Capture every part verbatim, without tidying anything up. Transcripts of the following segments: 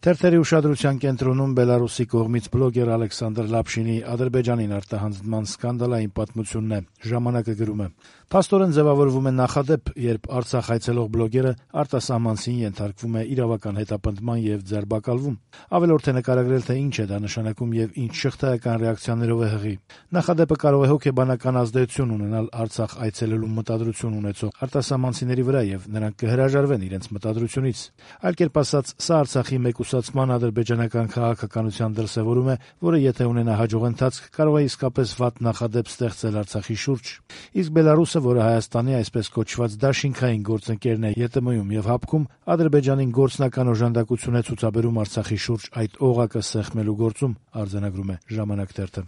Թերթերի ուշադրության կենտրոնում Բելարուսի կողմից բլոգեր Ալեքսանդր Լապշինի Ադրբեջանին արտահանձնման սկանդալային պատմությունն է։ Ժամանակը գրում է. «Փաստորեն ձևավորվում է նախադեպ, երբ Արցախ այցելող բլոգերը արտասահմանցին ենթարկվում է իրավական հետապնդման եւ ձերբակալվում։ Ավելորդ է նկարագրել, թե ինչ է դա նշանակում եւ ինչ շղթայական ռեակցիաներով է հղի։ Նախադեպը կարող է հոգեբանական ազդեցություն ունենալ Արցախ այցելելու մտադրություն ունեցող արտասահմանցիների վրա եւ նրանք կհրաժարվեն իրենց մտադրությունից։ Այլ կերպ ասած, սա Արցախի մեկուսացման ադրբեջանական քաղաքականության դրսեւորում է, որը եթե ունենա հաջող ընթացք, կարող է իսկապես վատ նախադեպ ստեղծել Արցախի շուրջ։ Իսկ Բելարուսը, որը Հայաստանի այսպես կոչված դաշինքային գործընկերն է ԵՏՄ-ում եւ ՀԱՊԿ-ում, Ադրբեջանին գործնական օժանդակություն է ցուցաբերում Արցախի շուրջ այդ օղակը սեղմելու գործում», արձանագրում է «Ժամանակ» թերթը։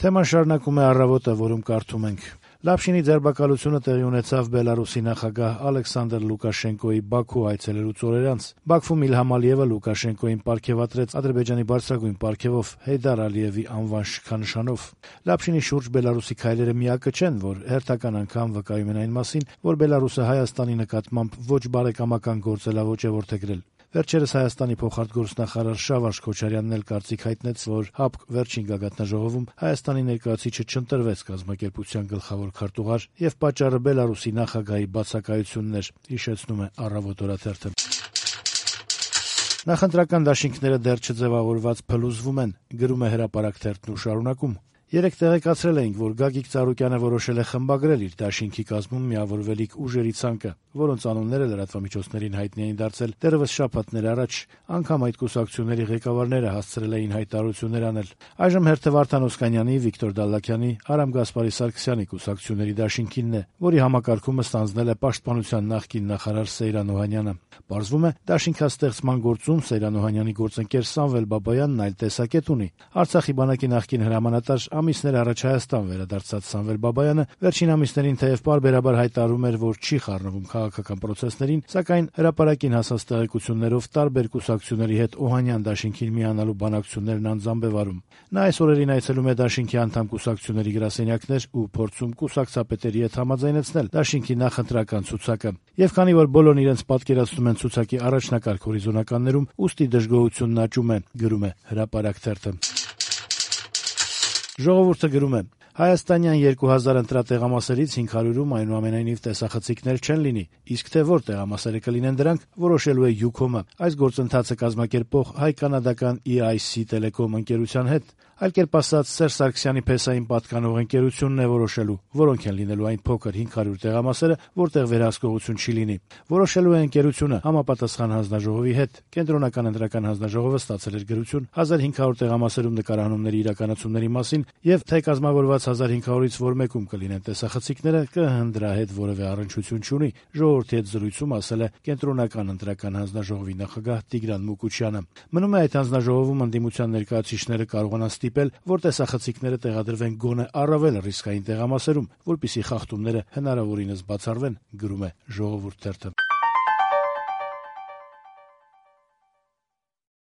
Թեման շարունակում է «Առավոտը», որում կարդում ենք. Լապշինի ձերբակալությունը տեղի ունեցավ Բելարուսի նախագահ Ալեքսանդր Լուկաշենկոյի Բաքու այցելելուց օրեր անց։ Բաքվում Իլհամ Ալիևը Լուկաշենկոյին պարգեւատրեց Ադրբեջանի բարձրագույն պարգևով Հեյդար Ալիևի անվան շքանշանով։ Լապշինի շուրջ Բելարուսի քայլերը միակը չեն, որ հերթական անգամ վկայում են այն մասին, որ Բելարուսը Հայաստանի նկատմամբ ոչ բարեկամական գործելավոճ է որդեգրել։ Վերջերս Հայաստանի փոխարտգործնախարար Շավարժ Քոչարյանն էլ կարծիք հայտնեց, որ ՀԱՊԿ վերջին գագաթնաժողովում Հայաստանի ներկայացուցիչը չընտրվեց կազմակերպության գլխավոր քարտուղար եւ պատճառը Բելարուսի նախագահի բացակայությունն էր, հիշեցնում է «Առավոտ» օրաթերթը։ Նախընտրական դաշինքները դեռ չձևավորված փլուզվում են, գրում է «Հրապարակ» թերթն ու շարունակում. Երեկ տեղեկացրել էինք, որ Գագիկ Ծառուկյանը որոշել է խմբագրել իր դաշինքի կազմում միավորվելիք ուժերի ցանկը, որոնց անունները լրատվամիջոցներին հայտնի էին դարձել դեռևս շաբաթներ առաջ, անգամ այդ կուսակցությունների ղեկավարները հասցրել էին հայտարարություններ անել։ Այժմ հերթը Վարդան Օսկանյանի, Վիկտոր Դալլաքյանի, Արամ Գասպարի Սարգսյանի կուսակցությունների դաշինքինն է, որի համակարգումը ստանձնել է Պաշտպանության նախկին նախարար Սեյրան Օհանյանը։ Պարզվում է, դաշինքաստեղծման գործում Սեյրան Օհանյանի գործընկեր Սամվել Բաբայանն այլ տեսակետ ունի։ Արցախի բանակի նախկին հրամանատար ամիսներ առաջ Հայաստան վերադարձած Սամվել Բաբայանը վերջին ամիսներին թեև պարբերաբար հայտարարում էր, որ չի խառնվում քաղաքական պրոցեսներին, սակայն հրապարակին հասած տեղեկություններով տարբեր կուսակցությունների հետ Օհանյան դաշինքին միանալու բանակցություններն անձամբ է վարում։ Նա այս օրերին այցելում է դաշինքի անդամ կուսակցությունների գրասենյակներ ու փորձում կուսակցապետերի հետ համաձայնեցնել դաշինքի նախընտրական ցուցակը։ Եվ քանի որ բոլորն իրենց պատկերացնում են ցուցակի առաջնակարգ հորիզոնականներում, ուստի դժգոհությունն աճում է, գրում է «Հրապարակ» թերթը։ Ժողովուրդը գրում է. Հայաստանյան երկու հազար ընտրատեղամասերից հինգ հարյուրում այնուամենայնիվ տեսախցիկներ չեն լինի, իսկ թե որ տեղամասերը կլինեն դրանք, որոշելու է Յուքոմը, այս գործընթացը կազմակերպող հայ-կանադական E I C Telecom ընկերության հետ։ Այլ կերպ ասած, Սերժ Սարգսյանի փեսային պատկանող ընկերությունն է որոշելու, որոնք են լինելու այն փոքր հինգ հարյուր տեղամասերը, որտեղ վերահսկողություն չի լինի։ Որոշելու է ընկերությունը համապատասխան հանձնաժողովի հետ։ Կենտրոնական ընտրական հանձնաժողովը ստացել էր գրություն հազար հինգ հարյուր տեղամասերում նկարահանումների իրականացումների մասին եւ թե կազմավորված հազար հինգ հարյուրից որ մեկում կլինեն տեսախցիկները, կհնդրահետ որևէ առնչություն չունի, ժողովրդի հետ զրույցում ասել է Կենտրոնական ընտրական հանձնաժողովի նախագահ Տիգրան Մուկուչյանը։ Մնում է այդ հանձնաժողովում ընդդիմության ներկայացուցիչները կարողանան ստիպել, որ տեսախցիկները տեղադրվեն գոնե առավել ռիսկային տեղամասերում, որպեսզի խախտումները հնարավորինս բացառվեն, գրում է «Ժողովուրդ» թերթը։